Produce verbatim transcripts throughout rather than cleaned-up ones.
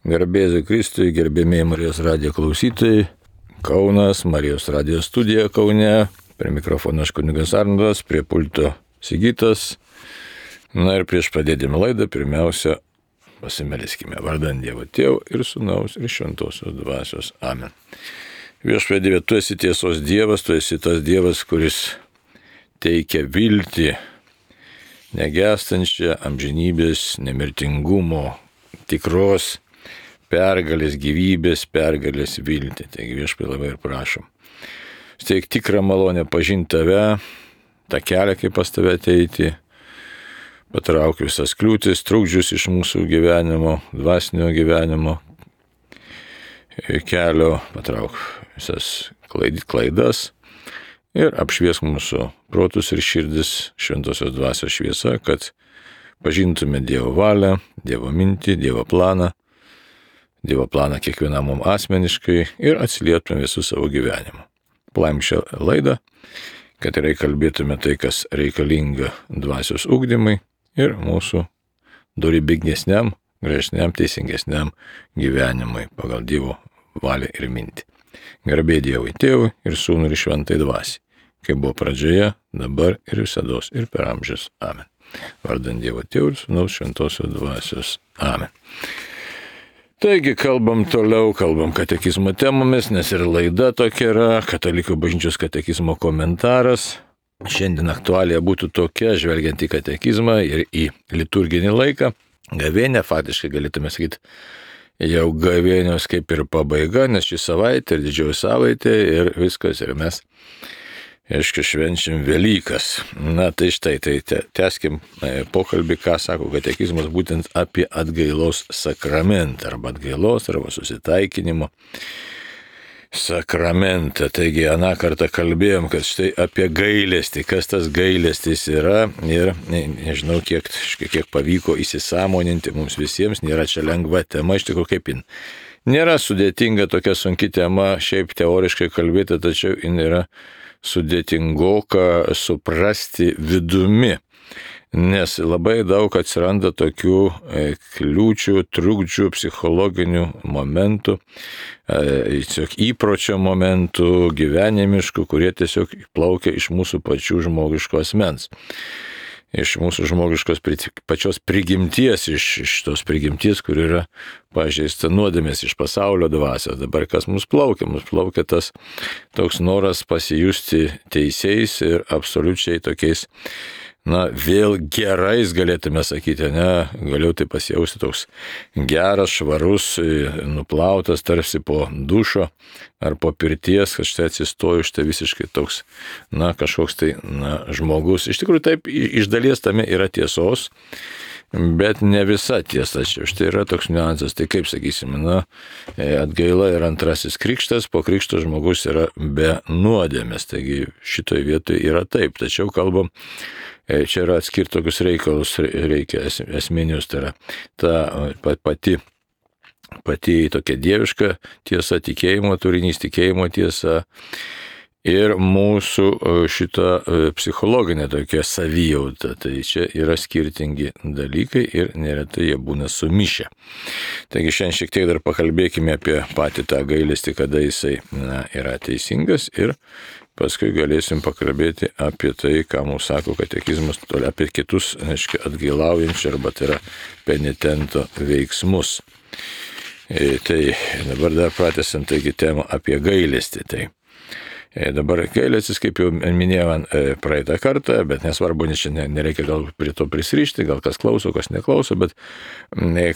Garbėsiu Kristui, gerbėmiai Marijos radijo klausytojai, Kaunas, Marijos radijo studija Kaune, prie mikrofono aš kunigas Arnoldas, prie pulto Sigitas. Na ir prieš pradėdami laidą, pirmiausia, pasimeliskime vardan Dievo Tėvo ir Sūnaus ir Šventosios Dvasios. Amen. Viešpatie Dieve, tu esi tiesos Dievas, tu esi tas Dievas, kuris teikia viltį, negęstančią amžinybės, nemirtingumo, tikros pergalės, gyvybės, pergalės viltį. Taigi viešpatie labai ir prašom. Steik tikrą malonę pažinti tave, tą kelią, kaip pas tave ateiti, patrauk visas kliūtis, trukdžius iš mūsų gyvenimo, dvasinio gyvenimo kelio, patrauk visas klaidas ir apšviesk mūsų protus ir širdis Šventosios Dvasios šviesa, kad pažintume Dievo valią, Dievo mintį, Dievo planą, Dievo planą kiekvienam mums asmeniškai ir atsilieptume visų savo gyvenimą. Plaim šią laidą, kad tikrai kalbėtume tai, kas reikalinga dvasios ugdymai ir mūsų dorybingesniam, gražesniam, teisingesniam gyvenimui pagal Dievo valią ir mintį. Garbė Dievui Tėvui ir Sūnui ir Šventai Dvasiai, kaip buvo pradžioje, dabar ir visados ir per amžius. Amen. Vardan Dievo Tėvo ir Sūnaus Šventosios Dvasios. Amen. Taigi kalbam toliau, kalbam katekizmo temomis, nes ir laida tokia yra, Katalikų bažnyčios katekizmo komentaras. Šiandien aktualija būtų tokia, žvelgiant į katekizmą ir į liturginį laiką. Gavėnė, faktiškai galėtume sakyti, jau gavėnios kaip ir pabaiga, nes šį savaitę ir didžioji savaitė ir viskas, ir mes, aišku, švenčiam Velykas. Na tai štai, tai tęskim pokalbį, ką sako katekizmas būtent apie atgailos sakramentą, arba atgailos, arba susitaikinimo sakramentą. Taigi, aną kartą kalbėjom, kad štai apie gailestį, kas tas gailestis yra ir nežinau, kiek, kiek pavyko įsisąmoninti mums visiems, nėra čia lengva tema, iš tikrųjų kaip jin. Nėra sudėtinga tokia sunki tema, šiaip teoriškai kalbėti, tačiau jin yra sudėtingoka suprasti vidumi, nes labai daug atsiranda tokių kliūčių, trukdžių, psichologinių momentų, tiesiog įpročio momentų, gyvenimiškų, kurie tiesiog plaukia iš mūsų pačių žmogiško asmens. Iš mūsų žmogiškos pačios prigimties, iš, iš tos prigimties, kur yra pažeista nuodėmės, iš pasaulio dvasios. Dabar kas mus plaukia? Mus plaukia tas toks noras pasijusti teisiais ir absoliučiai tokiais, na, vėl gerais galėtume sakyti, ne, galiu tai pasijausti toks geras, švarus, nuplautas tarsi po dušo ar po pirties, kad štai atsistoju, štai visiškai toks, na, kažkoks tai, na, žmogus. Iš tikrųjų taip, iš dalies tame yra tiesos, bet ne visa tiesa, čia štai yra toks niuansas. Tai kaip sakysime, na, atgaila yra antrasis krikštas, po krikšto žmogus yra be nuodėmės, taigi šitoje vietoje yra taip, tačiau kalbam, čia yra atskirti tokius reikalus, reikia esminius, tai yra ta pati, pati tokia dieviška tiesa, tikėjimo turinys, tikėjimo tiesa ir mūsų šita psichologinė tokia savijauta. Tai čia yra skirtingi dalykai ir neretai jie būna sumišę. Taigi šiandien šiek tiek dar pakalbėkime apie patį tą gailestį, kada jisai, na, yra teisingas ir paskui galėsim pakalbėti apie tai, ką mums sako katekizmas, apie kitus, aiškiai, atgailaujančių arba tai yra penitento veiksmus. E, tai dabar dar pratęsiant taigi temą apie gailestį. Tai dabar gailestis, kaip jau minėjau praeitą kartą, bet nesvarbu, nes čia nereikia gal prie to prisirišti, gal kas klauso, kas neklauso, bet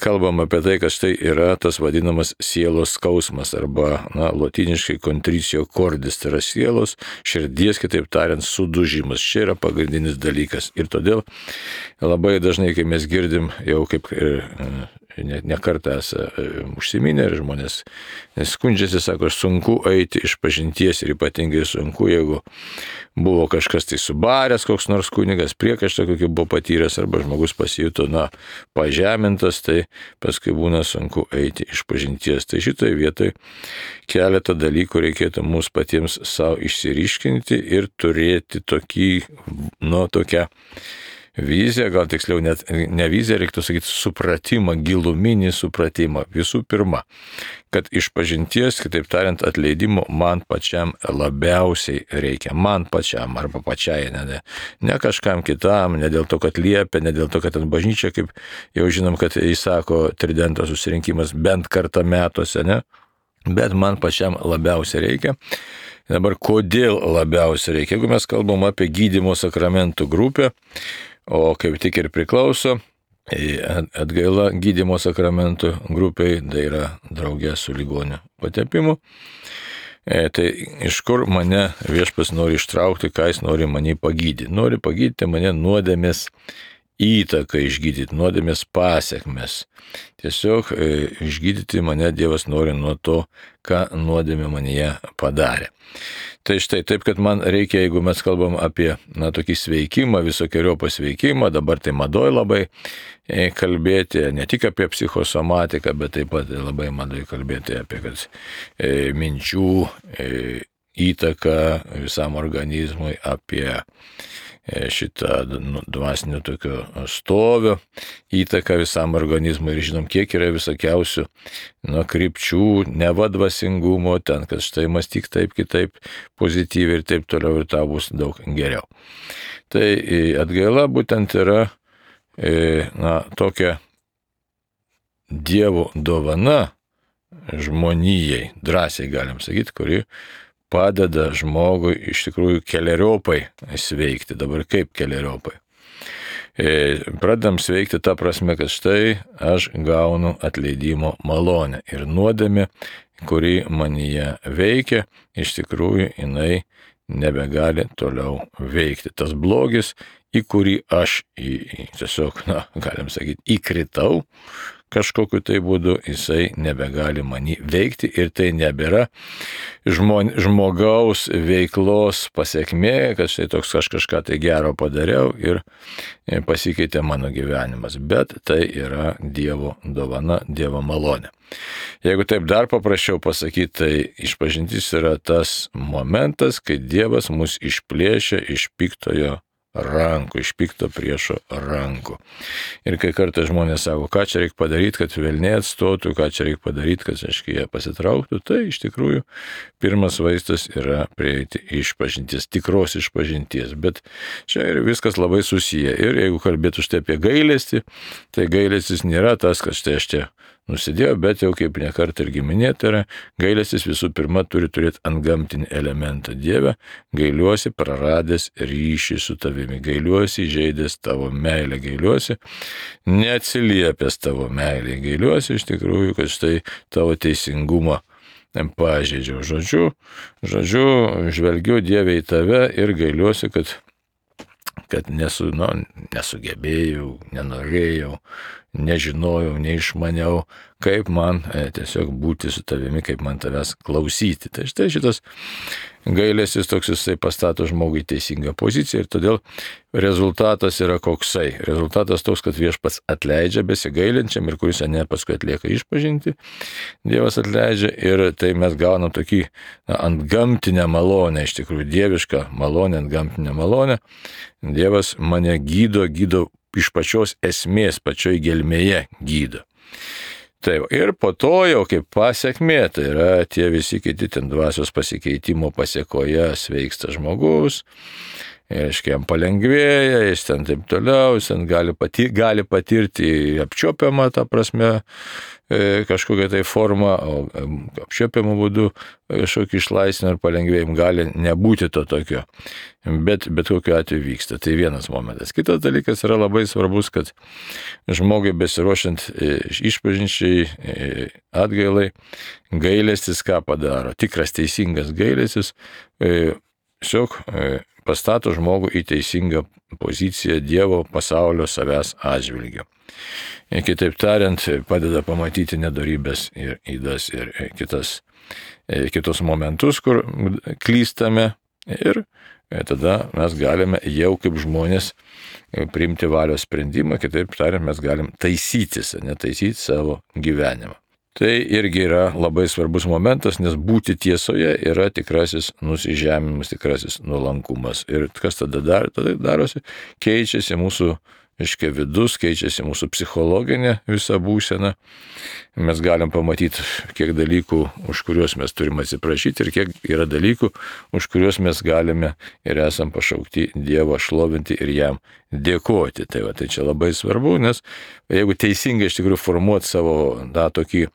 kalbam apie tai, kad štai yra tas vadinamas sielos skausmas arba, na, lotyniškai contricio cordis, tai yra sielos, širdies, kitaip tariant, sudužimas. Čia yra pagrindinis dalykas. Ir todėl labai dažnai, kai mes girdim jau kaip ir ne, ne kartą esame užsiminę ir žmonės skundžiasi, sako, sunku eiti iš pažinties ir ypatingai sunku, jeigu buvo kažkas tai subaręs, koks nors kunigas, priekaištą kokį buvo patyręs arba žmogus pasijuto, na, pažemintas, tai paskui būna sunku eiti iš pažinties. Tai šitoje vietoje keletą dalykų reikėtų mums patiems savo išsiriškinti ir turėti tokį, nu, tokią viziją, gal tiksliau net ne viziją, reiktų sakyti supratimą, giluminį supratimą. Visų pirma, kad išpažinties, kitaip tariant, atleidimo man pačiam labiausiai reikia. Man pačiam arba pačiai, ne, ne, ne kažkam kitam, ne dėl to, kad liepia, ne dėl to, kad ten bažnyčia, kaip jau žinom, kad įsako tridento susirinkimas bent kartą metuose, ne? Bet man pačiam labiausiai reikia. Dabar kodėl labiausiai reikia? Jeigu mes kalbam apie gydymo sakramentų grupę, o kaip tik ir priklauso atgaila gydymo sakramentų grupiai, tai yra draugė su ligonių patepimu, tai iš kur mane viešpats nori ištraukti, ką jis nori mane pagydyti? Nori pagydyti mane nuodėmės įtaką, išgydyti nuodėmės pasiekmes. Tiesiog e, išgydyti mane Dievas nori nuo to, ką nuodėmė manyje padarė. Tai štai taip, kad man reikia, jeigu mes kalbam apie na, tokį sveikimą, visokiojo pasveikimą, dabar tai madoj labai e, kalbėti, ne tik apie psichosomatiką, bet taip pat labai madoj kalbėti apie kad, e, minčių e, įtaką visam organizmui, apie šitą dvasinio tokio stovio įtaką visam organizmui ir žinom, kiek yra visokiausių nuo krypčių, nevadvasingumo, ten, kad štai mąstyk taip, kitaip, pozityviai ir taip toliau ir tau bus daug geriau. Tai atgaila būtent yra na, tokia Dievo dovana žmonijai, drąsiai galim sakyti, kuri padeda žmogui iš tikrųjų keleriopai sveikti. Dabar kaip keleriopai? E, pradedam sveikti tą prasme, kad štai aš gaunu atleidimo malonę. Ir nuodėmė, kuri manyje veikia, iš tikrųjų jinai nebegali toliau veikti. Tas blogis, į kurį aš į, į, tiesiog, na, galim sakyti, įkritau, kažkokiu tai būdu jisai nebegali manį veikti ir tai nebėra žmon, žmogaus veiklos pasiekmė, kad štai toks aš kažką tai gero padariau ir pasikeitė mano gyvenimas, bet tai yra Dievo dovana, Dievo malonė. Jeigu taip dar paprasčiau pasakyti, tai išpažintis yra tas momentas, kai Dievas mus išplėšia iš piktojo rankų, iš pikto priešo rankų. Ir kai kartą žmonės sako, ką čia reikia padaryti, kad velniai atstotų, ką čia reikia padaryti, kad, aiškiai, jie pasitrauktų, tai iš tikrųjų pirmas vaistas yra prieiti išpažinties, tikros išpažinties. Bet čia ir viskas labai susiję. Ir jeigu kalbėtų štai apie gailestį, tai gailestis nėra tas, kad štai aš čia nusidėjau, bet jau kaip nekart ir giminėta yra, gailestis visų pirma turi turėti antgamtinį elementą. Dieve, gailiuosi praradęs ryšį su tavimi, gailiuosi įžeidęs tavo meilę, gailiuosi neatsiliepęs tavo meilę, gailiuosi iš tikrųjų, kad štai tavo teisingumą pažeidžiau. Žodžiu, žodžiu, žvelgiu Dieve į tave ir gailiuosi, kad, kad nesu, nu, nesugebėjau, nenorėjau, nežinojau, neišmaniau, kaip man e, tiesiog būti su tavimi, kaip man tavęs klausyti. Tai štai šitas gailestis toks jisai pastato žmogui teisingą poziciją ir todėl rezultatas yra koksai. Rezultatas toks, kad viešpats atleidžia besigailinčiam ir kuris ne paskui atlieka išpažinti, Dievas atleidžia ir tai mes gaunam tokį na, antgamtinę malonę, iš tikrųjų dievišką malonę, antgamtinę malonę. Dievas mane gydo, gydo iš pačios esmės, pačioj gelmėje gydo. Taip, ir po to jau kaip pasiekmė, tai yra tie visi kiti ten dvasios pasikeitimo pasiekoje sveiksta žmogus, ir aiškiai jam palengvėja, jis ten taip toliau, jis ten gali, patir, gali patirti apčiuopiamą tą prasme e, kažkokią tai formą, o apčiuopiamų būdų kažkokį išlaisvinimą ir palengvėjimą gali nebūti to tokio, bet, bet kokiu atveju vyksta. Tai vienas momentas. Kitas dalykas yra labai svarbus, kad žmogui besiruošiant e, išpažinčiai e, atgailai, gailestis ką padaro. Tikras teisingas gailestis e, tiesiog e, pastato žmogų į teisingą poziciją Dievo, pasaulio, savęs atžvilgiu. Ir kitaip tariant, padeda pamatyti nedorybės ir ydas ir kitas, kitus momentus, kur klystame ir tada mes galime jau kaip žmonės priimti valios sprendimą, kitaip tariant, mes galim taisytis, netaisyti savo gyvenimą. Tai irgi yra labai svarbus momentas, nes būti tiesoje yra tikrasis nusižeminimas, tikrasis nuolankumas. Ir kas tada, dar, tada darosi? Keičiasi mūsų, aiškiai, vidus, keičiasi mūsų psichologinė visa būsena. Mes galim pamatyti, kiek dalykų, už kuriuos mes turime atsiprašyti ir kiek yra dalykų, už kuriuos mes galime ir esam pašaukti Dievą šlovinti ir jam dėkoti. Tai, va, tai čia labai svarbu, nes jeigu teisingai iš tikrųjų formuoti savo tą tokį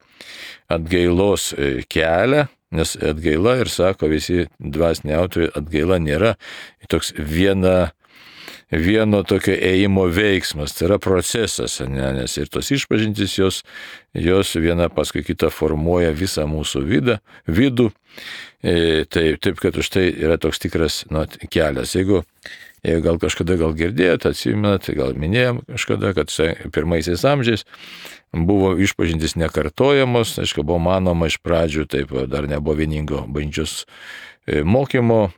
atgailos kelią, nes atgaila, ir sako visi dvasiniai autoriai, atgaila nėra toks viena vieno tokio ėjimo veiksmas, tai yra procesas, ne, nes ir tos išpažintys jos, jos viena paskui kitą formuoja visą mūsų vidą, vidų, e, tai, taip kad už tai yra toks tikras nu, kelias. Jeigu, jeigu gal kažkada gal girdėjote, atsimenat, gal minėjom kažkada, kad pirmaisiais amžiais buvo išpažintys nekartojamos, aišku, buvo manoma iš pradžių, taip dar nebuvo vieningo bažnyčios mokymo,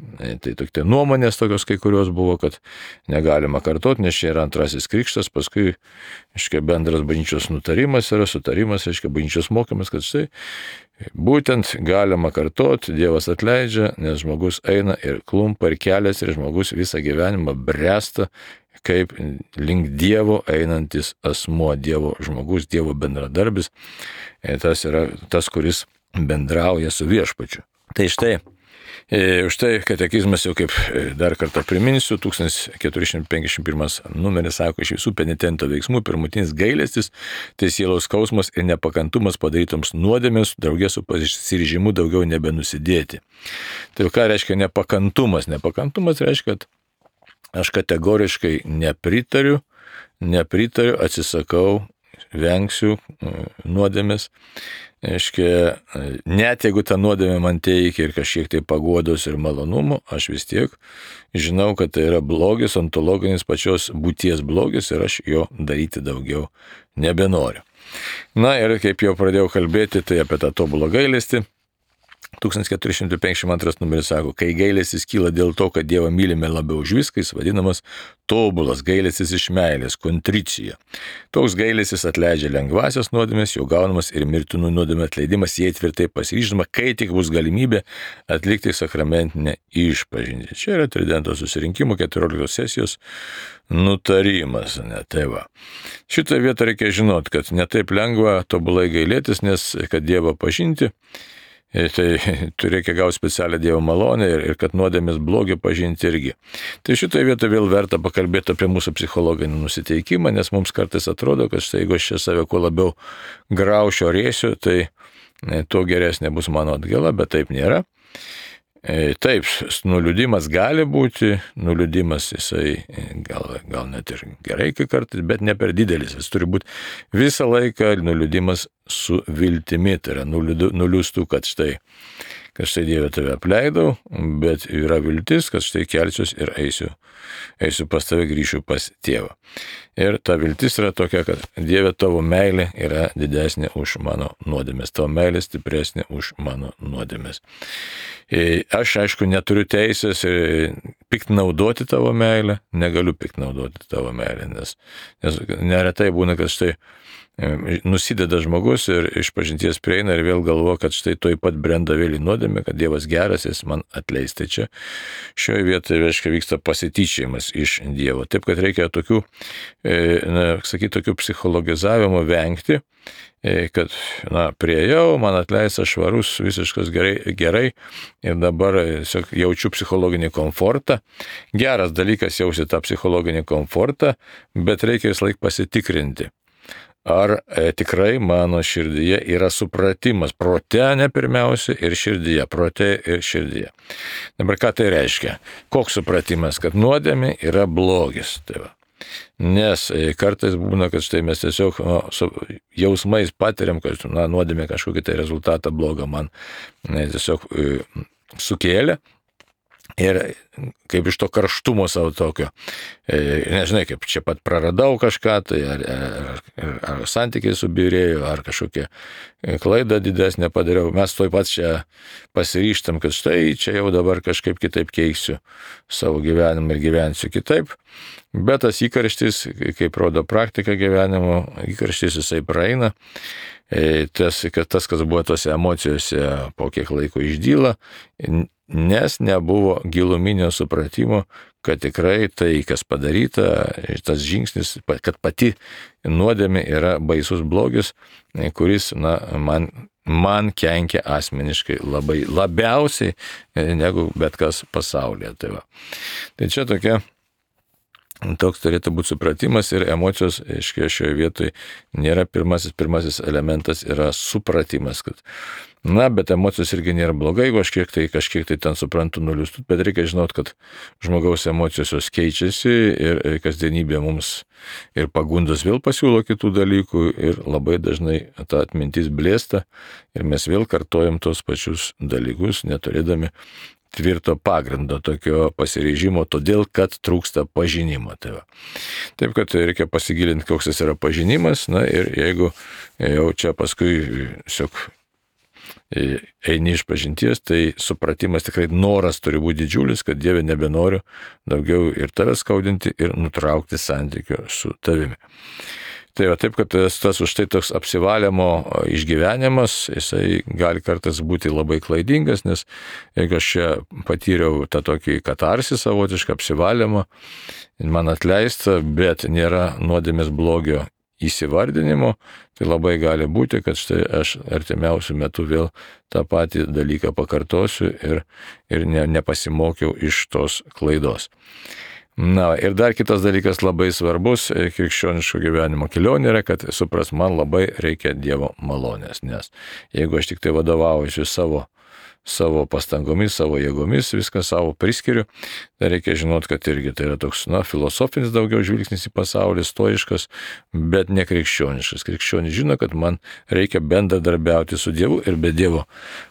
tai tokie nuomonės tokios kai kurios buvo, kad negalima kartoti, nes čia yra antrasis krikštas, paskui, aiškiai, bendras bažnyčios nutarimas yra, sutarimas, aiškiai, bažnyčios mokymas, kad štai būtent galima kartoti, Dievas atleidžia, nes žmogus eina ir klumpa ir kelias ir žmogus visą gyvenimą bręsta kaip link Dievo einantis asmuo, Dievo žmogus, Dievo bendradarbis, tas yra tas, kuris bendrauja su viešpačiu. Tai štai, E, už tai katekizmas jau kaip dar kartą priminsiu, tūkstantis keturi šimtai penkiasdešimt pirmas numeris sako, iš visų penitento veiksmų pirmutinis gailestis, tai sielos skausmas ir nepakantumas padarytoms nuodėmėms, draugė su pasiryžimu daugiau nebenusidėti. Tai ką reiškia nepakantumas? Nepakantumas reiškia, kad aš kategoriškai nepritariu, nepritariu, atsisakau, vengsiu nuodėmės. Aiškia, net jeigu ta nuodėmė man teikia ir kažkiek tai paguodos ir malonumų, aš vis tiek žinau, kad tai yra blogis, ontologinis pačios būties blogis ir aš jo daryti daugiau nebenoriu. Na ir kaip jau pradėjau kalbėti, tai apie tą tobulą gailestį. tūkstantis keturi šimtai penkiasdešimt antras numeris sako, kai gailestis kyla dėl to, kad Dievą mylime labiau už viską, jis vadinamas tobulas gailestis iš meilės, kontricija. Toks gailestis atleidžia lengvasias nuodėmės, jau gaunamas ir mirtinų nuodėmės atleidimas, jei tvirtai pasiryždama, kai tik bus galimybė atlikti sakramentinę išpažintį. Čia yra Tridento susirinkimo keturioliktos sesijos nutarimas. Ne, tai va. Šitą vietą reikia žinoti, kad netaip lengva tobulai gailėtis, nes kad Dievą pažinti, tai reikia gauti specialią Dievo malonę ir, ir kad nuodėmės blogį pažinti irgi. Tai šitoje vietoje vėl verta pakalbėti apie mūsų psichologinį nusiteikimą, nes mums kartais atrodo, kad štai jeigu aš čia save kuo labiau graušiu ar rėsiu, tai tuo geresnė bus mano atgaila, bet taip nėra. Taip, nuliūdimas gali būti, nuliūdimas jisai gal, gal net ir gerai kai kartais, bet ne per didelis. Jis turi būti visą laiką nuliūdimas su viltimi, tai yra nuliūstų, kad štai, kad štai Dieve tave apleidau, bet yra viltis, kad štai kelsiuos ir eisiu, eisiu pas tave, grįšiu pas tėvą. Ir ta viltis yra tokia, kad Dieve tavo meilė yra didesnė už mano nuodėmės, tavo meilė stipresnė už mano nuodėmės. Aš, aišku, neturiu teisės piktnaudoti tavo meilę, negaliu piktnaudoti tavo meilę, nes, nes neretai būna, kad štai nusideda žmogus ir išpažinties prieina ir vėl galvo, kad štai toj pat brenda vėl į nuodėmę, kad Dievas geras, jis man atleis. Tai čia šioje vietoje, reiškia, vyksta pasityčiajimas iš Dievo. Taip, kad reikia tokių, na, sakyti, tokių psichologizavimo vengti, kad, na, priejau, man atleista švarus, visiškas gerai, gerai ir dabar jaučiu psichologinį komfortą. Geras dalykas jausti tą psichologinį komfortą, bet reikia vis laik pasitikrinti. Ar e, tikrai mano širdyje yra supratimas, prote ne pirmiausia ir širdyje, prote ir širdyje. Dabar ką tai reiškia? Koks supratimas, kad nuodėmė yra blogis? Tai va. Nes e, kartais būna, kad štai mes tiesiog no, su jausmais patiriam, kad na, nuodėmė kažkokį tai rezultatą blogą man ne, tiesiog e, sukėlė. Ir kaip iš to karštumo savo tokio, nežinai, kaip čia pat praradau kažką, tai ar, ar, ar santykiai subirėjo, ar kažkokią klaidą didesnę padariau, mes toj pat čia pasiryštam, kad štai čia jau dabar kažkaip kitaip keisiu savo gyvenimą ir gyvensiu kitaip. Bet tas įkarštis, kaip rodo praktika gyvenimo, įkarštis jisai praeina tas, kad tas, kas buvo tose emocijose, po kiek laiko išdyla, nes nebuvo giluminio supratimo, kad tikrai tai, kas padaryta, tas žingsnis, kad pati nuodėmė yra baisus blogis, kuris, na, man, man kenkia asmeniškai labai, labiausiai negu bet kas pasaulyje. Tai, va. Tai čia tokia, toks turėtų būti supratimas ir emocijos, aiškiai, šioje vietoje nėra pirmasis, pirmasis elementas yra supratimas, kad na, bet emocijos irgi nėra blogai, jeigu aš kiek tai, kažkiek tai ten suprantu nuliustų, bet reikia žinot, kad žmogaus emocijos jos keičiasi ir kasdienybė mums ir pagundas vėl pasiūlo kitų dalykų ir labai dažnai ta atmintis blėsta ir mes vėl kartojam tos pačius dalykus, neturėdami tvirto pagrindo tokio pasiryžimo, todėl, kad trūksta pažinimo. Tai va. Taip, kad reikia pasigilinti, koks jis yra pažinimas, na ir jeigu jau čia paskui siok eini iš pažinties, tai supratimas tikrai noras turi būti didžiulis, kad Dieve nebenoriu daugiau ir tave skaudinti ir nutraukti santykio su tavimi. Tai va, taip, kad tas, tas už tai toks apsivalymo išgyvenimas, jisai gali kartais būti labai klaidingas, nes jeigu aš čia patyriau tą tokį katarsį savotišką apsivalymą, man atleista, bet nėra nuodėmės blogio įsivardinimo, tai labai gali būti, kad štai aš artimiausių metų vėl tą patį dalyką pakartosiu ir, ir ne, nepasimokiau iš tos klaidos. Na, ir dar kitas dalykas labai svarbus krikščioniško gyvenimo kelionė yra, kad supras, man labai reikia Dievo malonės, nes jeigu aš tik tai vadovaujuosi savo, savo pastangomis, savo jėgomis, viską savo priskiriu, tai reikia žinot, kad irgi tai yra toks, na, filosofinis daugiau žvilgsnis į pasaulį, stoiškas, bet ne krikščioniškas. Krikščionis žino, kad man reikia bendradarbiauti su Dievu ir be Dievo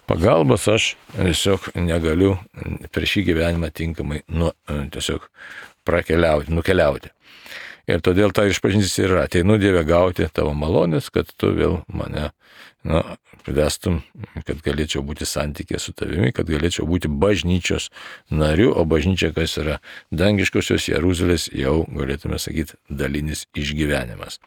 pagalbos aš tiesiog negaliu per šį gyvenimą tinkamai, nu, tiesiog prakeliauti, nukeliauti. Ir todėl ta išpažintis yra, ateinu Dieve gauti tavo malonės, kad tu vėl mane, na, vestum, kad galėčiau būti santykė su tavimi, kad galėčiau būti bažnyčios nariu, o bažnyčia, kas yra dangiškosios Jeruzalės, jau galėtume sakyti, dalinis išgyvenimas.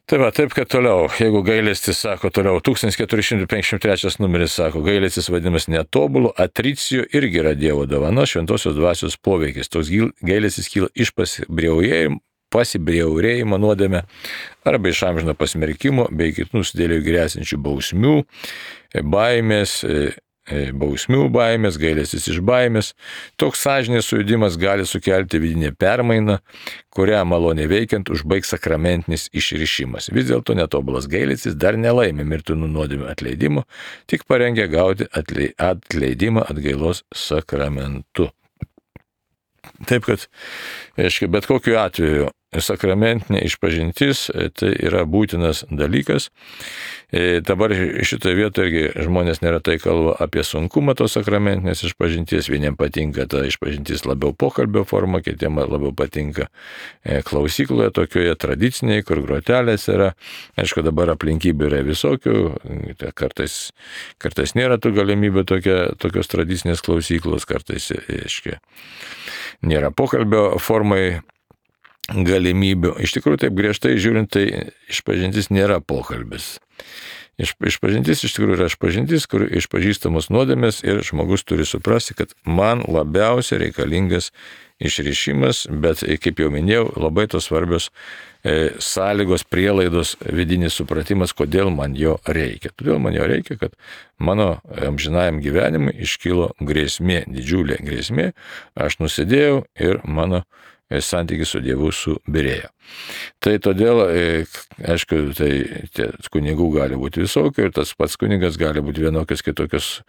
Tai va, taip, kad toliau, jeigu gailestis, sako toliau, tūkstantis keturi šimtai penkiasdešimt trečias numeris sako, gailestis vadinamas netobulu, atricijų irgi yra Dievo dovana, šventosios dvasios poveikis. Toks gailestis kyla iš pasibriaurėjimo, pasibriaurėjimo nuodėmę arba iš amžino pasmerkimo bei kitų nusidėlių grėsinčių bausmių, baimės, bausmių baimės, gailestis iš baimės. Toks sąžinės sujudimas gali sukelti vidinę permainą, kurią maloniai veikiant užbaigs sakramentinis išrišimas. Vis dėlto netobulas gailestis dar nelaimė mirtinų nuodėmių atleidimo, tik parengia gauti atleidimą atgailos sakramentu. Taip, kad, aiškiai, bet kokiu atveju sakramentinė išpažintis tai yra būtinas dalykas. E, dabar šitoje vietoje irgi žmonės neretai kalba apie sunkumą tos sakramentinės išpažinties. Vieniems patinka ta išpažintis labiau pokalbio forma, kitiems labiau patinka e, klausykloje, tokioje tradiciniai, kur grotelės yra. Aišku, dabar aplinkybių yra visokių, kartais, kartais nėra tų galimybių tokia, tokios tradicinės klausyklos, kartais, aiškiai, nėra pokalbio formai galimybių. Iš tikrųjų, taip griežtai žiūrint, tai išpažintis nėra pokalbis. Iš, išpažintis iš tikrųjų yra išpažintis, kur išpažįstamos nuodėmės ir žmogus turi suprasti, kad man labiausiai reikalingas išrišimas, bet, kaip jau minėjau, labai tos svarbios e, sąlygos, prielaidos, vidinis supratimas, kodėl man jo reikia. Todėl man jo reikia, kad mano amžinajam gyvenimui iškilo grėsmė, didžiulė grėsmė, aš nusidėjau ir mano santykis su Dievu subyrėjo. Tai todėl, aišku, tai kunigų gali būti visokių ir tas pats kunigas gali būti vienokios kitokios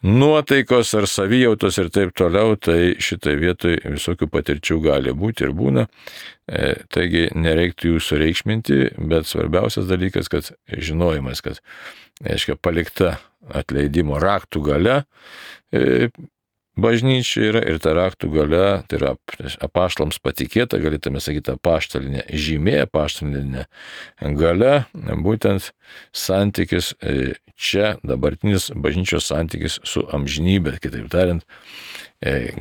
nuotaikos ar savijautos ir taip toliau, tai šitai vietoj visokių patirčių gali būti ir būna. Taigi nereiktų jų sureikšminti, bet svarbiausias dalykas, kad žinojimas, kad, aišku, palikta atleidimo raktų galia, bažnyčia yra ir ta raktų galia, tai yra apaštalams patikėta, galėtume sakyti, apaštalinė žymė, apaštalinė galia, būtent santykis čia, dabartinis bažnyčios santykis su amžinybė, kitaip tariant,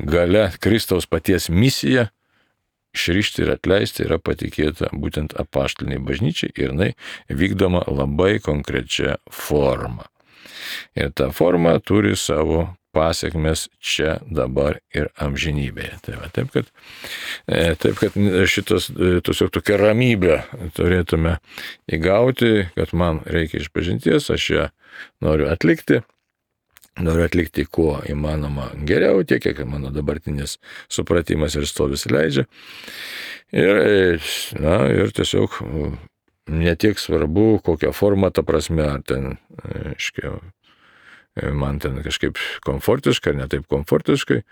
galia Kristaus paties misija išrišti ir atleisti yra patikėta būtent apaštaliniai bažnyčiai ir jinai vykdoma labai konkrečia forma. Ir ta forma turi savo pasiekmes čia, dabar ir amžinybėje. Tai va, taip, kad, taip, kad šitas tiesiog tokia ramybė turėtume įgauti, kad man reikia išpažinties, aš ją noriu atlikti. Noriu atlikti kuo įmanoma geriau, tiek, kiek mano dabartinis supratimas ir stovis leidžia. Ir, na, ir tiesiog netiek svarbu, kokią formą, ta prasme, ar ten, aiškiai, man ten kažkaip komfortiškai, ar ne taip komfortiškai,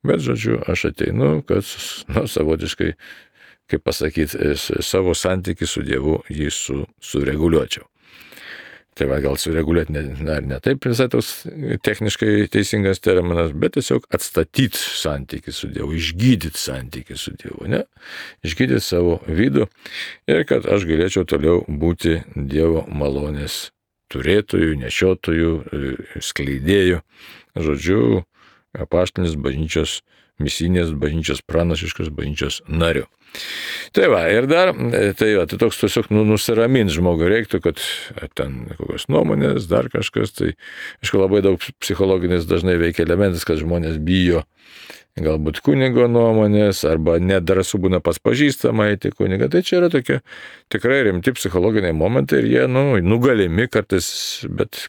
bet, žodžiu, aš ateinu, kad, na, savotiškai, kaip pasakyti, savo santykį su Dievu jį su, sureguliuočiau. Tai va, gal sureguliuoti ne, ne, ne taip visai toks techniškai teisingas terminas, bet tiesiog atstatyti santykį su Dievu, išgydyti santykį su Dievu, ne? Išgydyti savo vidų ir kad aš galėčiau toliau būti Dievo malonės turėtojų, nešiotojų, skleidėjų, žodžiu, apaštalinis bažnyčios, misinės bažnyčios, pranašiškos bažnyčios narių. Tai va, ir dar, tai, va, tai toks tiesiog nu, nusiramint žmogui reiktų, kad ten kokios nuomonės, dar kažkas, tai, aišku, labai daug psichologinės dažnai veikia elementas, kad žmonės bijo galbūt kunigo nuomonės, arba nedrąsu būna pas pažįstamą eiti kunigą. Tai čia yra tokie tikrai rimti psichologiniai momentai ir jie, nu, nugalimi kartais, bet...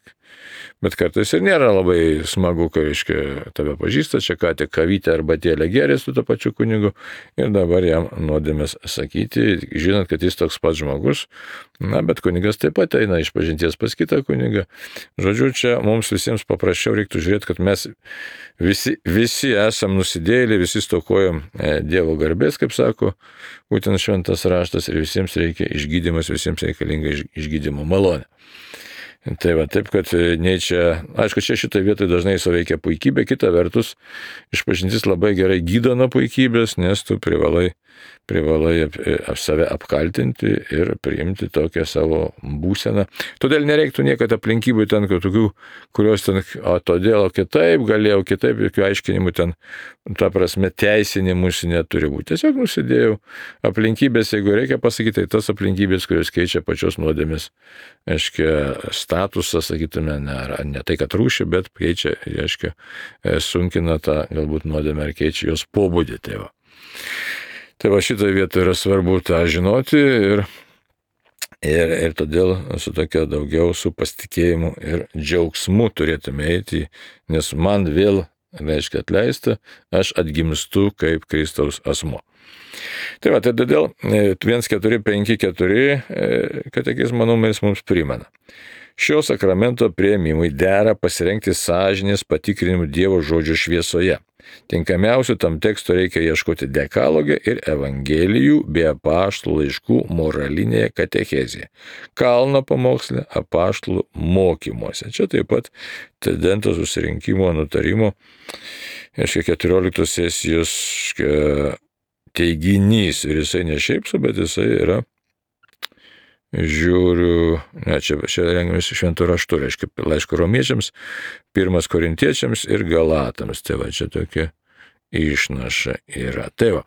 Bet kartais ir nėra labai smagu, kai, reiškia, tave pažįsta, čia ką tik kavytę arba tėlę gerė su to pačiu kunigu ir dabar jam nuodėmės sakyti, žinant, kad jis toks pats žmogus, na, bet kunigas taip pat eina išpažinties pas kitą kunigą. Žodžiu, čia mums visiems paprasčiau reiktų žiūrėti, kad mes visi, visi esam nusidėjėliai, visi stokojam Dievo garbės, kaip sako, būtent šventas raštas ir visiems reikia išgydymas, visiems reikalinga išgydymo malonė. Tai va, taip, kad nei čia, aišku, čia šitoje vietoje dažnai suveikia puikybė, kita vertus, išpažintis labai gerai gydo nuo puikybės, nes tu privalai, privalai ap, ap save apkaltinti ir priimti tokią savo būseną. Todėl nereiktų niekada aplinkybių ten, tokių, kurios ten, o todėl, o kitaip, galėjau kitaip, jokių aiškinimų ten, ta prasme, teisinimus neturi būti. Tiesiog nusidėjau aplinkybės, jeigu reikia pasakyti, tai tas aplinkybės, kurios keičia pačios nuodėmės, aiškia, statusą, sakytume, ne, ne tai, kad rūšį, bet keičia, aiškia, sunkina tą galbūt nuodėmę ar keičia jos pobūdį. Tai va, tai va šitoje vietoje yra svarbu tą žinoti ir, ir, ir todėl su tokia daugiau su pasitikėjimu ir džiaugsmu turėtume eiti, nes man vėl, reiškia, atleista, aš atgimstu kaip Kristaus asmuo. Tai va, tai todėl vienas keturi penki keturi katekizmo numeris mums primena. Šio sakramento priėmimui dera pasirengti sąžinės patikrinimų Dievo žodžio šviesoje. Tinkamiausių tam teksto reikia ieškoti dekalogė ir evangelijų bei apaštalų laiškų moralinėje katechezėje. Kalno pamoksle, apaštalų mokymuose. Čia taip pat Tridento susirinkimo nutarimo, aiškiai, keturioliktos sesijos teiginys ir jisai ne šiaip su, bet jisai yra, žiūriu, ne, čia, čia rengiamės šventų raštų, reiškia, laiško romiečiams, pirmas korintiečiams ir galatams, tai va, čia tokia išnaša yra. Tai va,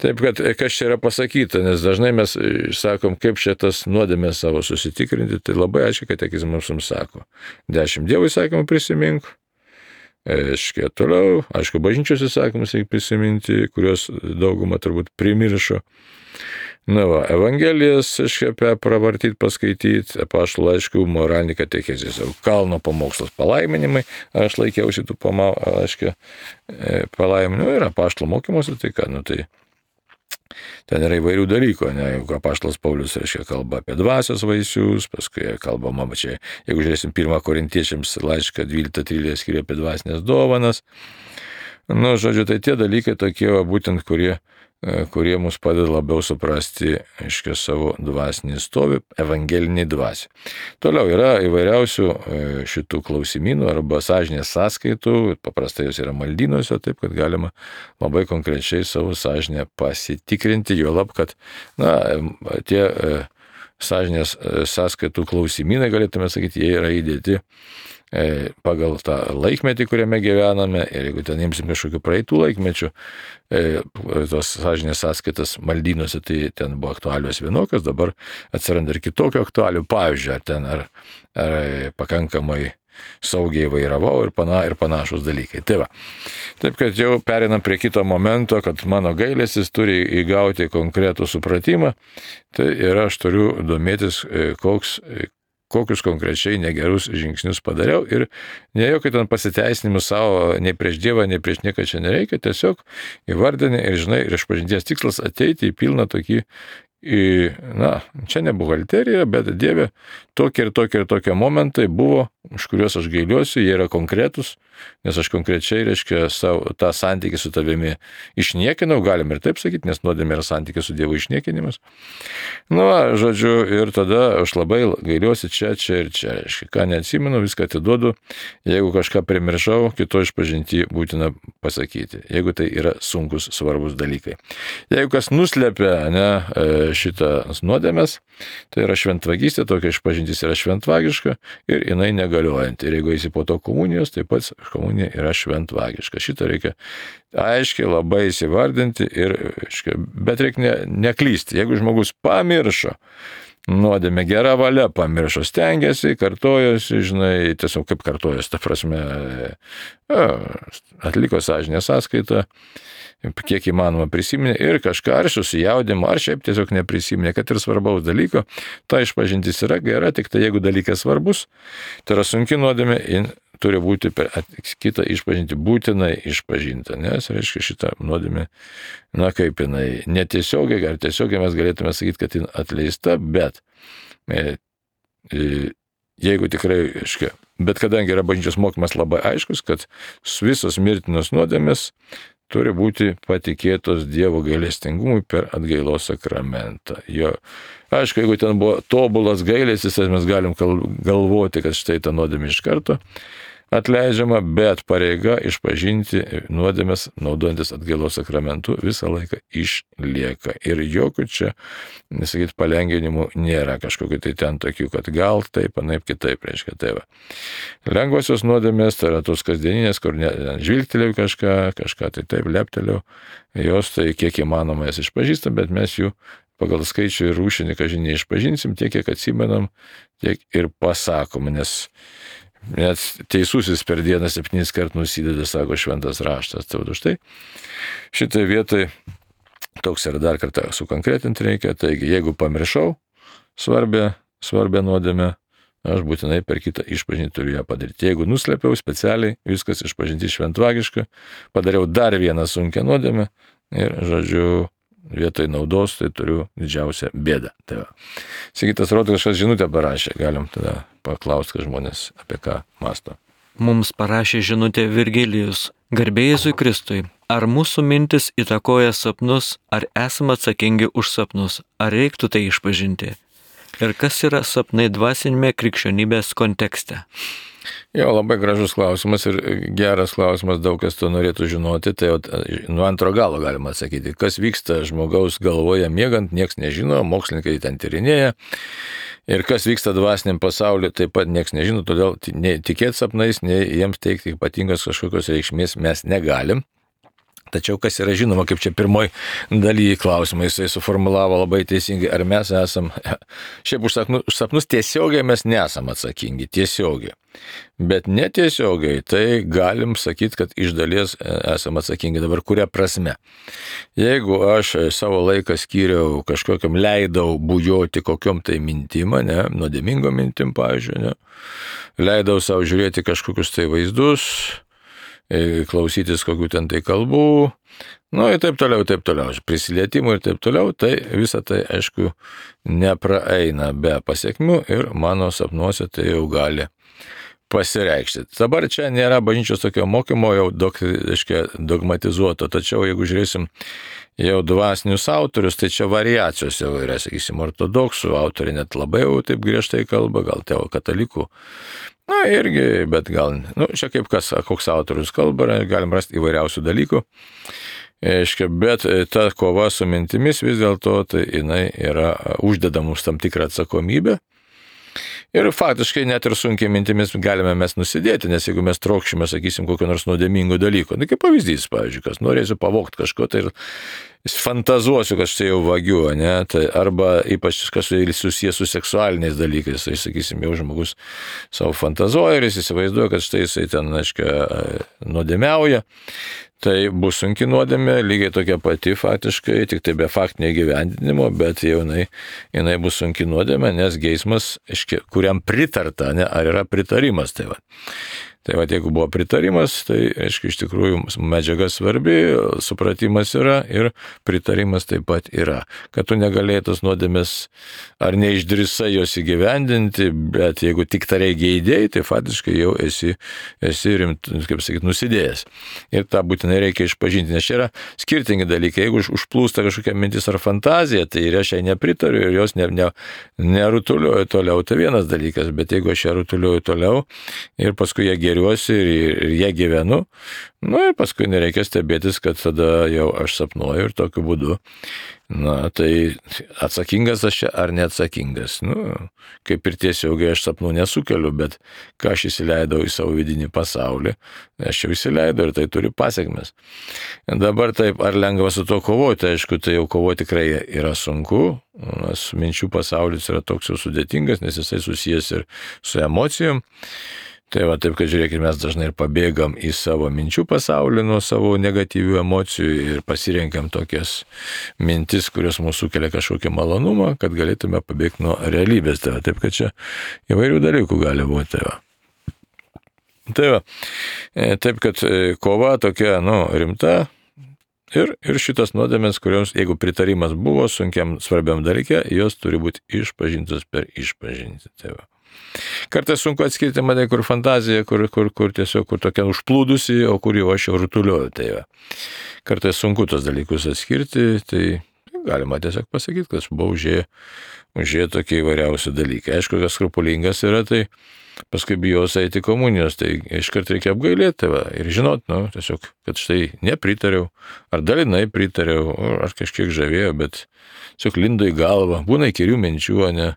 taip, kad kas čia yra pasakyta, nes dažnai mes sakom, kaip čia tas nuodėmės savo susitikrinti, tai labai aiškiai katekizmas mums sako, dešimt Dievo įsakymų prisimink, aiškiai, toliau, aišku, bažnyčios įsakymus reikia prisiminti, kurios daugumą turbūt primiršo. Na va, evangelijas, aiškiai, pravartyti, paskaityti, apaštalų laiškų, moralinį katechezės, kalno pamokslas palaiminimai, aš laikiausi tų aiškiai palaiminimų ir apaštalų mokymuose, tai ką, nu tai ten yra įvairių dalykų, ne, jeigu apaštalas Paulius, reiškia, kalba apie dvasios vaisius, paskui kalbama, čia, jeigu žiūrėsim pirmą korintiečiams laišką dvyliktą tryliktą skyrių apie dvasinės dovanas, nu, žodžiu, tai tie dalykai tokie, va, būtent, kurie kurie mus padeda labiau suprasti, aiškiai, savo dvasinį stovį, evangeliniai dvasiai. Toliau yra įvairiausių šitų klausimynų arba sąžinės sąskaitų, paprastai jos yra maldynuose, taip, kad galima labai konkrečiai savo sąžinę pasitikrinti, juolab, kad, na, tie sąžinės sąskaitų klausimynai, galėtume sakyti, jie yra įdėti pagal tą laikmetį, kuriame gyvename, ir jeigu ten imsim kažkokių praeitų laikmečių, tos sąžinės sąskaitas maldynuose, tai ten buvo aktualios vienokios, dabar atsiranda ir kitokio aktualių, pavyzdžiui, ar ten ar, ar pakankamai saugiai vairavau ir, pana, ir panašus dalykai. Tai va. Taip, kad jau perinam prie kito momento, kad mano gailestis turi įgauti konkretų supratimą, tai ir aš turiu domėtis, koks kokius konkrečiai negerus žingsnius padariau ir ne jokio ten pasiteisinimų savo, nei prieš Dievą, nei prieš nieką čia nereikia, tiesiog įvardinė ir, žinai, ir išpažinties tikslas ateiti į pilną tokį, į, na, čia ne buhalterija, bet Dieve, tokie ir tokie ir tokie momentai buvo, už kuriuos aš gailiuosi, jie yra konkretus, nes aš konkrečiai, reiškia, savo, tą santykį su tavimi išniekinau, galim ir taip sakyti, nes nuodėmė yra santykis su Dievu išniekinimas. Nu, žodžiu, ir tada aš labai gailiuosi čia, čia ir čia, reiškia, ką neatsimenu, viską atiduodu, jeigu kažką primiršau, kito išpažinti būtina pasakyti, jeigu tai yra sunkus, svarbus dalykai. Jeigu kas nuslepia, ne, šitą nuodėmės, tai yra šventvagystė, tokia išpažintis yra šventvagiška ir jinai negaliojanti. Ir jeigu eisi po to komunijos, tai pats komunija yra šventvagiška. Šitą reikia aiškiai labai įsivardinti, ir, bet reikia ne, neklysti. Jeigu žmogus pamiršo nuodėmę, gera valia pamiršo, stengiasi, kartojosi, žinai, tiesiog kaip kartojosi, ta prasme, atliko sąžinės sąskaitą, kiek įmanoma prisiminė ir kažką ar susijaudimo, ar šiaip tiesiog neprisiminė, kad ir svarbaus dalyko, ta išpažintis yra gera, tik tai jeigu dalykas svarbus, tai yra sunki nuodėmė, turi būti per kitą išpažinti, būtinai išpažinta, nes, reiškia, šitą nuodėmę, na kaip jinai, netiesiogiai, ar tiesiogiai mes galėtume sakyti, kad jin atleista, bet e, e, jeigu tikrai, reiškia, bet kadangi yra bažnyčios mokymas labai aiškus, kad visos mirtinos nuodėmės turi būti patikėtos Dievo gailestingumui per atgailos sakramentą. Jo, aišku, jeigu ten buvo tobulas gailestis, mes galim galvoti, kad štai ta nuodėmė iš karto atleidžiama, bet pareiga išpažinti nuodėmės naudojantis atgailos sakramentu visą laiką išlieka. Ir jokių čia, nesakyt, palengvinimų nėra, kažkokiu tai ten tokių, kad gal taip, anaip kitaip, reiškia, tai va. Lengvosios nuodėmės, tai yra tos kasdieninės, kur žvilgtelėjau kažką, kažką tai taip, leptelėjau, jos tai kiek įmanoma jas išpažįstam, bet mes jų pagal skaičių ir rūšinį, kažin neišpažinsim, tiek, kiek atsimenam, tiek ir pasakom, nes net teisusis per dieną septynis kart nusideda, sako šventas raštas. Tai už tai šitai vietai toks ir dar kartą sukonkretinti reikia. Taigi, jeigu pamiršau svarbę, svarbę nuodėmę, aš būtinai per kitą išpažinti turiu ją padaryti. Jeigu nuslėpiau specialiai, viskas išpažinti šventvagiška, padariau dar vieną sunkią nuodėmę ir, žodžiu, vietoj naudos, tai turiu didžiausią bėdą. Tai va. Sigitas rodo, kažkas žinutę parašė, galim tada paklausti, kad žmonės apie ką mąsto. Mums parašė žinutę Virgilijus. Garbė Jėzui Kristui. Ar mūsų mintis įtakoja sapnus, ar esame atsakingi už sapnus, ar reiktų tai išpažinti? Ir kas yra sapnai dvasinėme krikščionybės kontekste? Jo, labai gražus klausimas ir geras klausimas, daug kas to norėtų žinoti, tai nuo antro galo galima atsakyti. Kas vyksta žmogaus galvoje miegant, nieks nežino, mokslininkai ten tyrinėja. Ir kas vyksta dvasiniam pasauliu, taip pat nieks nežino, todėl nei tikėti sapnais, nei jiems teikti ypatingos kažkokios reikšmės mes negalim. Tačiau kas yra žinoma, kaip čia pirmoji dalyje klausimai, jisai suformulavo labai teisingai, ar mes esam, šiaip už sapnus, už sapnus tiesiogiai mes nesam atsakingi, tiesiogiai. Bet netiesiogiai, tai galim sakyti, kad iš dalies esam atsakingi. Dabar kuria prasme? Jeigu aš savo laiką skyriau kažkokiam, leidau bujoti kokiom tai mintim, ne, nuodėmingom mintim, pavyzdžiui, ne, leidau savo žiūrėti kažkokius tai vaizdus, klausytis kokių ten tai kalbų, nu ir taip toliau, taip toliau, prisilietimų ir taip toliau, tai visa tai, aišku, nepraeina be pasiekmių ir mano sapnuose tai jau gali pasireikšti. Dabar čia nėra bažnyčios tokio mokymo jau dog, aiškia, dogmatizuoto, tačiau jeigu žiūrėsim jau dvasinius autorius, tai čia variacijos jau yra, sakysim, ortodoksų autoriai net labai jau taip griežtai kalba, gal tėvo katalikų. Na irgi, bet gal, nu, čia kaip kas, koks autorius kalba, galim rasti įvairiausių dalykų. Aiškia, bet ta kova su mintimis vis dėlto tai jinai yra uždeda mums tam tikrą atsakomybę. Ir faktiškai net ir sunkiai mintimis galime mes nusidėti, nes jeigu mes trokšime, sakysim, kokio nors nuodėmingo dalyko, tai kaip pavyzdys, pavyzdžiui, kas norėsiu pavogti kažko, tai ir fantazuosiu, kad štai jau vagiu, ne, tai arba ypač kas susijęs su seksualiniais dalykais, tai, sakysim, jau žmogus savo fantazuoja ir jis įsivaizduoja, kad štai jisai ten, aiškia, nuodėmiauja. Tai bus sunki nuodėmė, lygiai tokia pati faktiškai, tik tai be faktinio įgyvendinimo, bet jau jinai, jinai bus sunki nuodėmė, nes geismas, kuriam pritarta, ne, ar yra pritarimas. Tai va. Tai va, jeigu buvo pritarimas, tai, aišku, iš tikrųjų medžiaga svarbi, supratimas yra ir pritarimas taip pat yra. Kad tu negalėjai tos nuodėmės ar neišdrįsai jos įgyvendinti, bet jeigu tik tariai geidėjai, tai faktiškai jau esi, esi rimt, kaip sakyti, nusidėjęs. Ir tą būtinai reikia išpažinti, nes čia yra skirtingi dalykai. Jeigu užplūsta kažkokia mintis ar fantazija, tai ir aš jai nepritariu ir jos ne, ne, nerutulioju toliau, tai vienas dalykas, bet jeigu aš ją rutulioju toliau ir paskui ją geriuosi ir, ir jie gyvenu, nu ir paskui nereikia stebėtis, kad tada jau aš sapnuoju ir tokiu būdu. Na, tai atsakingas aš čia ar neatsakingas? Nu, kaip ir tiesiogiai aš sapnų nesukeliu, bet ką aš įsileidau į savo vidinį pasaulį, aš jau įsileidau ir tai turi pasiekmes. Dabar taip, ar lengva su to kovoti? Aišku, tai jau kovoti tikrai yra sunku, nes minčių pasaulis yra toks jau sudėtingas, nes jisai susijęs ir su emocijom. Tai va taip, kad žiūrėkime, mes dažnai ir pabėgam į savo minčių pasaulį nuo savo negatyvių emocijų ir pasirenkam tokias mintis, kurios mūsų sukelia kažkokį malonumą, kad galėtume pabėgti nuo realybės. Tai va taip, kad čia įvairių dalykų gali būti. Tai va. Tai va, taip, kad kova tokia, nu, rimta. Ir, ir šitas nuodėmės, kurios, jeigu pritarimas buvo sunkiam svarbiam dalykė, jos turi būti išpažintos per išpažinti. Tai va. Kartais sunku atskirti mane, kur fantazija, kur, kur, kur tiesiog kur tokia užplūdusi, o kur jau aš jau rutulioju. Tai va. Kartais sunku tos dalykus atskirti, tai galima tiesiog pasakyti, kad aš buvau užėję, užėję tokie įvairiausi dalykai. Aišku, kas skrupulingas yra, tai paskui bijos eiti komunijos, tai iškart reikia apgailėti tai va, ir žinot, nu, tiesiog, kad štai nepritariau, ar dalinai pritariau, ar kažkiek žavėjo, bet tiesiog lindo į galvą, būna įkyrių minčių, ne.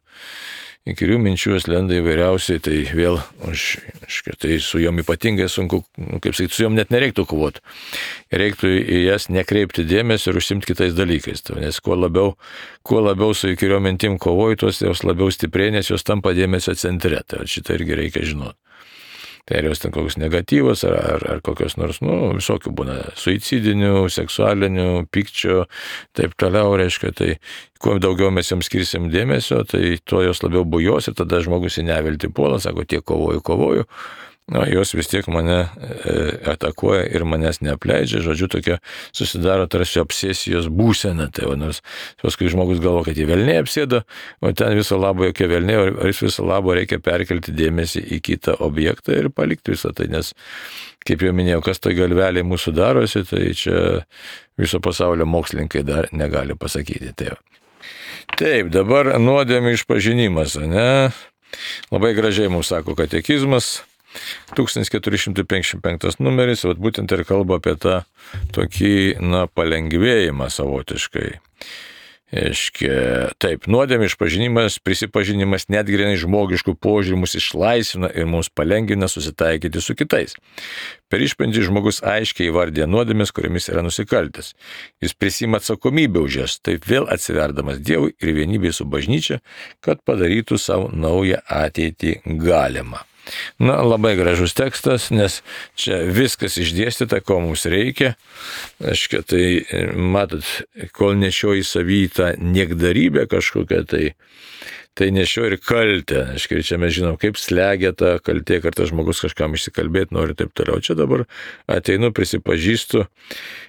Įkyrių minčių lenda įvairiausiai, tai vėl, aš, aš, tai su jom ypatingai sunku, kaip sakyti, su jom net nereiktų kovoti. Reiktų į jas nekreipti dėmesio ir užsimti kitais dalykais. Nes kuo labiau, kuo labiau su įkyriom mintim kovoji, tos jos labiau stiprėja, nes jos tampa dėmesio centre. Tai šitą irgi reikia žinoti. Tai ar jos ten kokios negatyvos, ar, ar, ar kokios nors, nu, visokių būna, suicidinių, seksualinių, pykčio, taip toliau, reiškia, tai kuo daugiau mes jiems skirsim dėmesio, tai tuo jos labiau bujos ir tada žmogus į neviltį puola, sako, tiek kovoju, kovoju, na, jos vis tiek mane e, atakuoja ir manęs neapleidžia, žodžiu, tokia susidaro tarsi obsesijos būsena, tai va, nors paskui žmogus galvo, kad jį velniai apsėda, o ten viso labo jokie velniai, ar jis viso labo reikia perkelti dėmesį į kitą objektą ir palikti visą tai, nes, kaip jau minėjau, kas tai galveliai mūsų darosi, tai čia viso pasaulio mokslininkai dar negali pasakyti. Tai taip, dabar nuodėmių išpažinimas, ne? Labai gražiai mums sako katekizmas. tūkstantis keturi šimtai penkiasdešimt penktas numeris, vat būtent ir kalba apie tą tokį, na, palengvėjimą savotiškai. Aiškia, taip, nuodėmių išpažinimas, prisipažinimas net grinai žmogiškų požiūrių mus išlaisvina ir mums palengvina susitaikyti su kitais. Per išpažintį žmogus aiškiai įvardija nuodėmes, kuriamis yra nusikaltęs. Jis prisima atsakomybę už jas, taip vėl atsiverdamas Dievui ir vienybėje su bažnyčia, kad padarytų savo naują ateitį galimą. Na, labai gražus tekstas, nes čia viskas išdėstyta, ko mums reikia. Aiškia, tai, matot, kol nešioji savy tą niekdarybę kažkokią, tai, tai nešioji ir kaltę. Aiškia, čia mes žinom, kaip slegia ta kaltė, kartais žmogus kažkam išsikalbėti nori ir taip toliau. Čia dabar ateinu, prisipažįstu.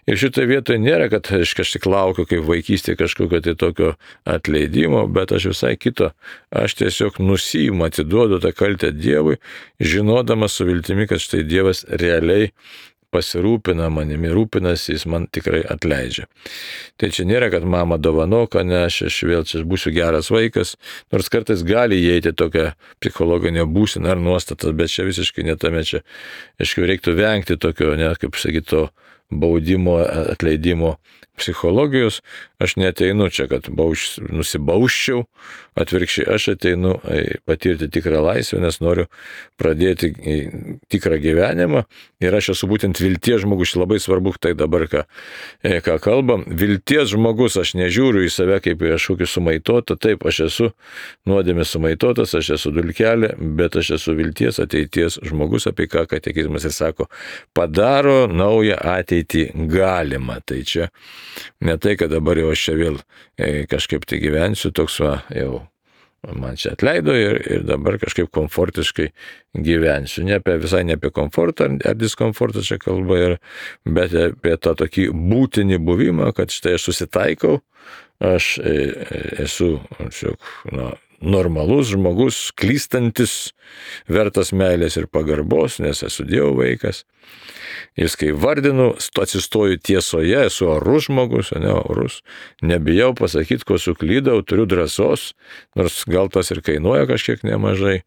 Ir šitoje vietoje nėra, kad aš kažkaip laukiu kaip vaikystė kažkokio tai tokio atleidimo, bet aš visai kito. Aš tiesiog nusiimu, atiduodu tą kaltę Dievui, žinodamas su viltimi, kad štai Dievas realiai pasirūpina manimi, rūpinasi, jis man tikrai atleidžia. Tai čia nėra, kad mama dovanok, ne, aš, aš vėl čia būsiu geras vaikas, nors kartais gali įeiti tokią psichologinę būseną ar nuostatas, bet čia visiškai netame čia, aišku, reiktų vengti tokio, ne, kaip sakyti, to baudimo, atleidimo psichologijos. Aš neteinu čia, kad bauš, nusibauščiau, atvirkščiai aš ateinu patirti tikrą laisvę, nes noriu pradėti tikrą gyvenimą ir aš esu būtent vilties žmogus, labai svarbu tai dabar, ką, ką kalbam. Vilties žmogus, aš nežiūriu į save kaip į kažkokį sumaitotą, taip, aš esu nuodėmės sumaitotas, aš esu dulkelė, bet aš esu vilties ateities žmogus, apie ką katekizmas ir sako, padaro naują ateitį galima. Tai čia ne tai, kad dabar jau aš čia vėl kažkaip tai gyvensiu, toks va, jau man čia atleido ir, ir dabar kažkaip komfortiškai gyvensiu. Ne apie, visai ne apie komfortą ar diskomfortą čia kalba, ir, bet apie tą tokį būtinį buvimą, kad štai aš susitaikau, aš esu na, normalus žmogus, klystantis, vertas meilės ir pagarbos, nes esu Dievo vaikas. Jis kai vardinu, atsistoju tiesoje, esu orus žmogus, ne orus, nebijau pasakyti, ko suklydau, turiu drąsos, nors gal tas ir kainuoja kažkiek nemažai.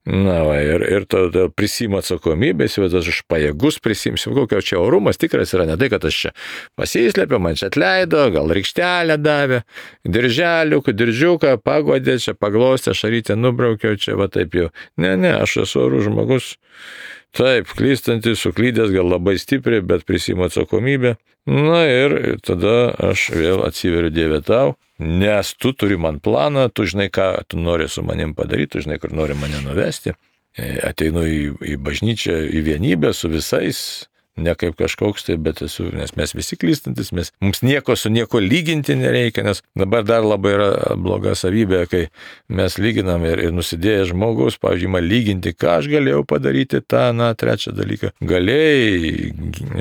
Na, va, ir, ir tada prisimu atsakomybės, jau aš pajėgus prisimsiu, kokio čia orumas tikras yra, ne tai, kad aš čia pasislėpiau, man čia atleido, gal rykštelę davė, dirželių, diržuką pagodė, čia paglostė, šarytę nubraukiau, čia va taip jau. Ne, ne, aš esu orus žmogus. Taip, klystantis, suklydęs, gal labai stipriai, bet prisimu atsakomybę. Na ir tada aš vėl atsiveriu Dieve tau, nes tu turi man planą, tu žinai, ką tu nori su manim padaryti, tu žinai, kur nori mane nuvesti. Ateinu į, į bažnyčią, į vienybę su visais, ne kaip kažkoks tai, bet esu, nes mes visi klystantis, mes, mums nieko su nieko lyginti nereikia, nes dabar dar labai yra bloga savybė, kai mes lyginam ir, ir nusidėjęs žmogus, pavyzdžiui, man lyginti, ką aš galėjau padaryti, tą, na, trečią dalyką. Galėjai,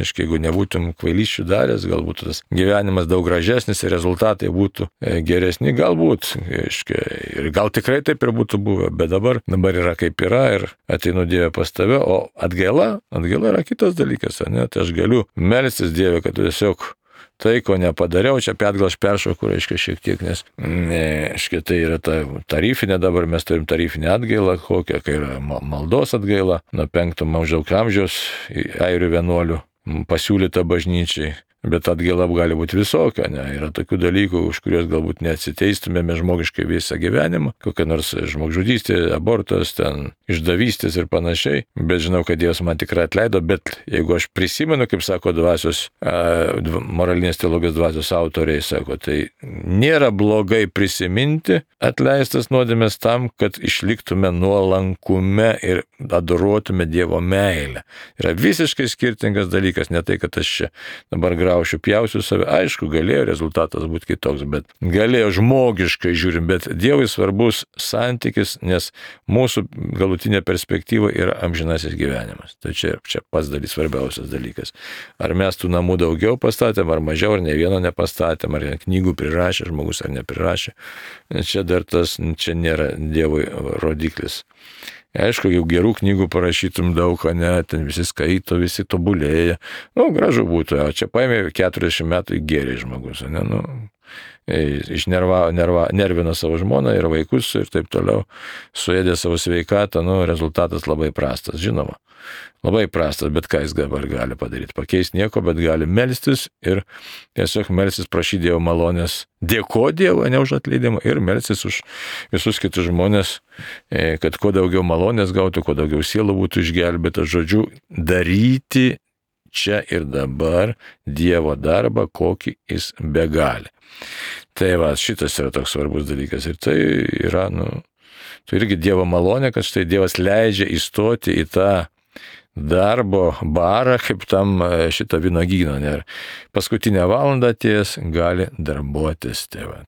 aiškiai, jeigu nebūtum kvailysčių daręs, galbūt tas gyvenimas daug gražesnis ir rezultatai būtų geresni, galbūt, aiškiai, ir gal tikrai taip ir būtų buvę, bet dabar, dabar yra kaip yra ir ateinu Dieve pas tave, o atgaila, atgaila yra kitas dalykas. Ne, tai aš galiu melstis Dieve, kad tiesiog tai, ko nepadariau, čia apie atgal aš peršoku, reiškia šiek tiek, nes ne, aiškia, tai yra ta tarifinė, dabar mes turim tarifinę atgailą, kokią, kai yra maldos atgaila, nuo penkto maždaug amžiaus airių vienuolių pasiūlyta bažnyčiai. Bet atgaila gali būti visokia, ne? Yra tokių dalykų, už kuriuos galbūt neatsiteistumėme žmogiškai visą gyvenimą, kokia nors žmogžudystė, abortas, ten išdavystės ir panašiai, bet žinau, kad Dievas man tikrai atleido, bet jeigu aš prisimenu, kaip sako dvasios, moralinės teologijos dvasios autoriai, sako, tai nėra blogai prisiminti atleistas nuodėmės tam, kad išliktume nuolankume ir adoruotume Dievo meilę. Yra visiškai skirtingas dalykas, ne tai, kad aš čia dabar graušiu, pjausiu save. Aišku, galėjo rezultatas būti kitoks, bet galėjo žmogiškai žiūrim, bet Dievui svarbus santykis, nes mūsų galutinė perspektyva yra amžinasis gyvenimas. Tai čia, čia pats dalis svarbiausias dalykas. Ar mes tų namų daugiau pastatėm, ar mažiau, ar ne vieno nepastatėm, ar knygų prirašė žmogus, ar neprirašė. Čia dar tas, čia nėra Dievui rodiklis. Aišku, jau gerų knygų parašytum daug, ne, ten visi skaito, visi tobulėja. Nu, gražu būtų, o čia paėmė keturiasdešimt metų geriai žmogus, ne, nu, išnerva, nerva, nervino savo žmoną ir vaikus ir taip toliau, suėdė savo sveikatą, nu, rezultatas labai prastas, žinoma. Labai prastas, bet ką jis dabar gali padaryti? Pakeisti nieko, bet gali melstis ir tiesiog melstis, prašyti Dievo malonės, dėkoti Dievui, ne už atleidimą, ir melstis už visus kitus žmonės, kad kuo daugiau malonės gautų, kuo daugiau sielų būtų išgelbėta, žodžiu, daryti čia ir dabar Dievo darbą, kokį jis begali. Tai va, šitas yra toks svarbus dalykas ir tai yra, nu, tai irgi Dievo malonė, kad štai Dievas leidžia įstoti į tą darbo barą, kaip tam šitą vynuogyną. Ir paskutinę valandą atėjęs gali darbuotis. Tai va.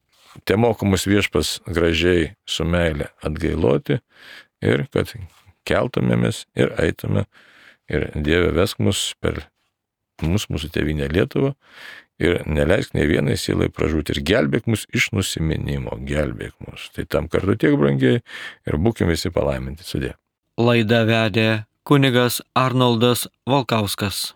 Te mokomus viešpas gražiai su meile atgailoti ir kad keltumėmės ir eitume. Ir Dieve vesk mus per mus, mūsų tėvynę Lietuvą ir neleisk nei vienai sielai pražūti ir gelbėk mus iš nusiminimo, gelbėk mus. Tai tam kartu tiek brangiai ir būkim visi palaiminti. Sudie. Laidą vedė kunigas Arnoldas Valkauskas.